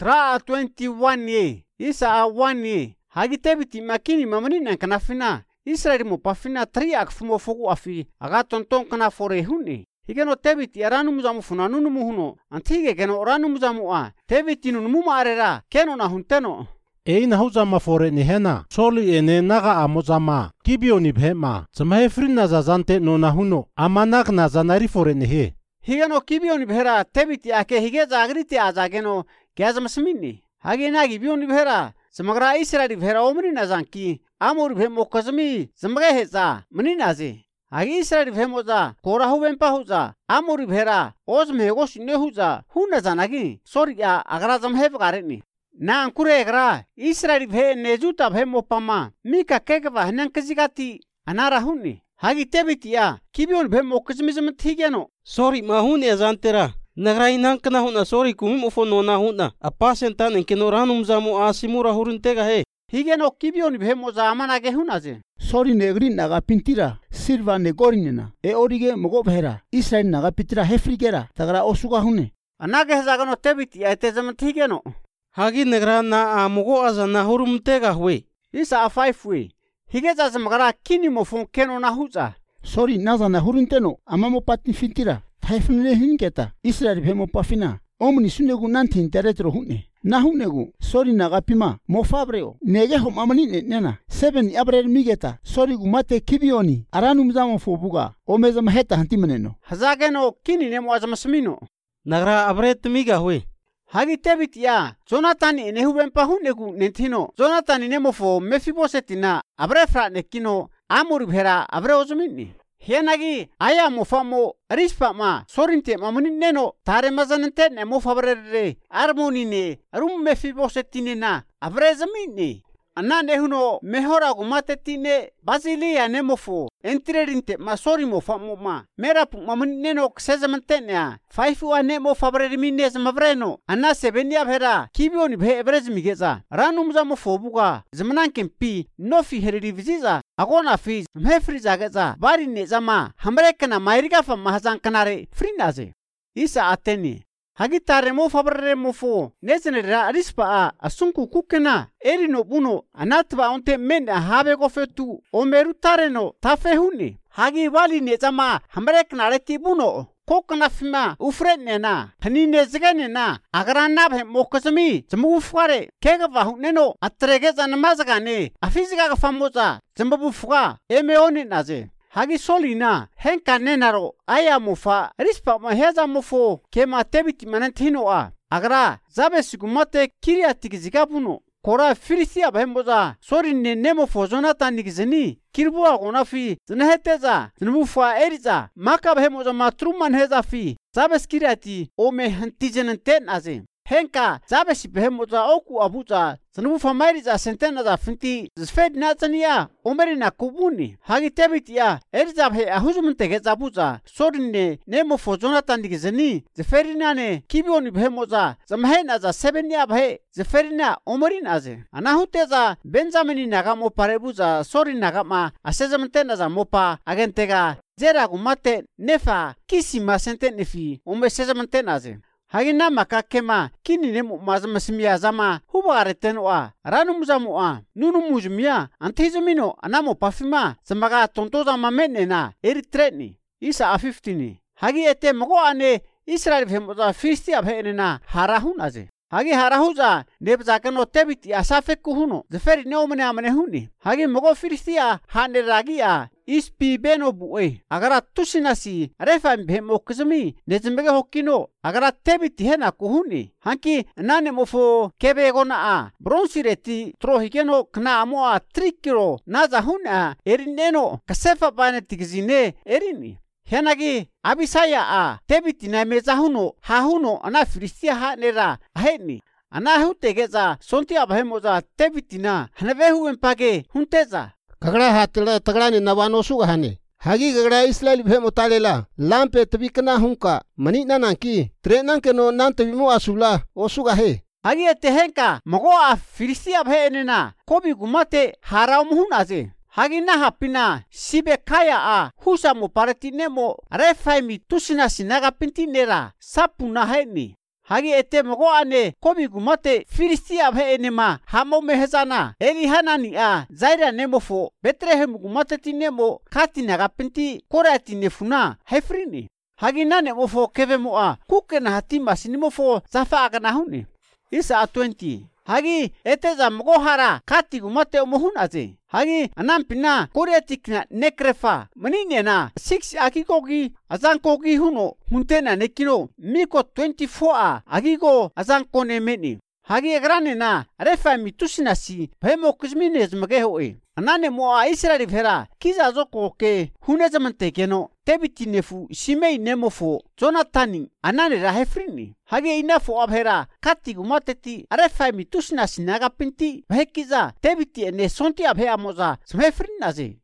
tra 21 ye isa 1 ye hagi tebiti makini mamani kanafina Israel mo pafina triak fumo fogu afi aga tonton kana fore huni higeno tebiti aranu muzamu funanu muhuno antige geno oranu muzamu a tebiti nu mumarera keno na hunteno Eina huzama fore ni hena soli ene naga amozama kibioni bhema zamahe frina zazante no na huno amanak na zanari fore ni he higeno kibioni bhera tebiti ake hige zagriti azageno gazmasmini hage nagi bioni bhera zamagra Israel bhera omri na zanki amur bhemo kozmi zamage heza mani naze hage Israel bhemoza kora huwempa huza amur bhera ozmego shine huza huna zanagi sori ya agra zamhe bgareni na ankure gra Israel bhe nejuta bhemo pama mika kekva hnankazigati anara hunni hage tebitiya kibion bhemo kozmi zamthigeno Sorry mahuni azantera nagrai nankna huna sorry kumim ufono na huna apasentan enkeno ranum zamu asimura hurintega he higeno kibion bhemo zamanage hunaze Sorry negri naga pintira silva negorinena e orige mogo bhera Israel naga pitira hefrigera tagra osuga hune anage zagano tebiti ate zamthigeno hagi negra na amugo azana hurumtega hwe isa 5 we hige zazamagara kini mofon keno na huza Sorry nazana hurinteno amamo patni fintira taifnele hingeta Israel bhemo pafina omni sunegu nantin teretro hune na hunegu sorry naga pima mo fabreo nege hom amani nena 7 abrel migeta sorry gumate kibioni aranum zamo fobuga omezam heta hantimeneno hazageno kini nemo azmasmino nagra abret miga hwe hagi tebitiya Jonathan enehubempa hunegu nentino Jonathan nemofo mefibosetina abrefra nekino amur bhera abre ozmini Hienagi aya mofamo rispama sorinte mamuni neno tare mazanente ne mofabrere armoni ne rum mefibosetine na avrezamini anna nehuno mehora gumatetine basilia nemofo entrerinte masori mofamo ma merapu mamuni neno ksezamante ne 5 wa nemo fabrere minnes mavreno anna sebenia bhera kibioni bhe ebrezmigeza ranum zamofo buga zmananken pi nofi herediviziza agona fi mhefriza gaza bari ne zama hamrekana mairiga fa mahazan kanare frinaze isa ateni hagitare mo fabrere mo fo nezenera rispa asunku kukena erino buno anatba onte men habe go fetu omeru tareno tafehuni hagi bali ne zama hamrekana reti buno kokna fima ufrenena hanine zganena agrana bhe mokasmi zmu ufare kega vahuneno atrege zanmazgane afiziga ga famoza zmbu fuga emeoni naze hagi solina henka nenaro aya mufa rispa ma heza mufo kema tebiti manantino agra zabesugumate kiriatik zigabuno kora firisia bhemboza sorinne nemo Jonathan nigzeni kirbuwa gonafi zneheteza znufa eriza maka bhemoza matruman heza fi zabeskiriati ome hantijenenten aze henka zabesi bhemoza oku abuza znufa mairiza sentena za finti zfed nazania omerina kubuni hagi tebitiya eriza bhe ahuzumtege zabuza sorinne nemo Jonathan nigzeni zferinane kibioni bhemoza zamhena za sebenia bhe zferina omorin aze anahuteza Benjamini nagamo parebuza sori nagama asezamtena za mopa agentega zera gumate nefa kisima sente nefi omesezamtena aze hagina makakema kini nemo mazmasmia zama hubareteno ranum zamu nunu mujmia antizumino anamo pafima zamaga tontoza mamenena eritreni isa 15 hagi ete mogo ane Israel bhemoza fisti abhenena harahun aze hagi harahuza nebzakano tebiti asafeku huno zeferi neomene amene huni hagi mogo firistia hane ragia ispi beno buwe agara tusinasi refa bhemo kizmi nezmbege hokkino agara tebiti hena kuhuni hanki nane mofo kebe gona bronsireti trohigeno kna amo 3 kilo naza huna erineno kasefa bane tigzine erini henagi abisaya tebiti na mezahuno hahuno ana firistia hanera aheni ana hutegeza sonti abhemoza tebitina hanavehu empage hunteza kagड़ा हातला तगड़ा ने नवानो सुगा हने हागी गगड़ा इस्राएल भेमो तालेला लांपे तबिकना हुंका मनी नाना की ट्रेनन के नो नान तबिमो आसुला ओ सुगा हे हागी तेहेंका मगो फिरिसिया भेनेना कोबी गुमाते हाराम हुनाजे हागी ना हापिना सिबे खाया हुसा मो पारतिने मो रेफाइमी तुसिना सिनागा पिंतिनेरा सापुना हेनी Hagi ete mogo ane kobi gumate Filistia phe enema hamo mehezana eli hanani a zaira nemofo Bethlehem gumate tinemo katina gapenti korati nefuna hefrini. Hagi nane mofo keve moa kukena hatima sinimofo zafa agana huni. Isa 20. Hagi ete za mogo hara kati gumate omohun aze. Hagi anampina koreatikna nekrefa manine na 6 akikogi azankogi huno huntena nekino miko 24 agigo azanko nemeni. Hagi agrane na refa mitusinasi phemo kizmines magehoe. Anane moa Israeli phera kiza zoko ke hunezamante keno tebiti nefu simei nemofo Jonathani anane rahefrini. Hagi inafo abhera kati gumateti refa mitusinasi nagapinti bhekiza tebiti ene sonti abhe amoza smefrinaze.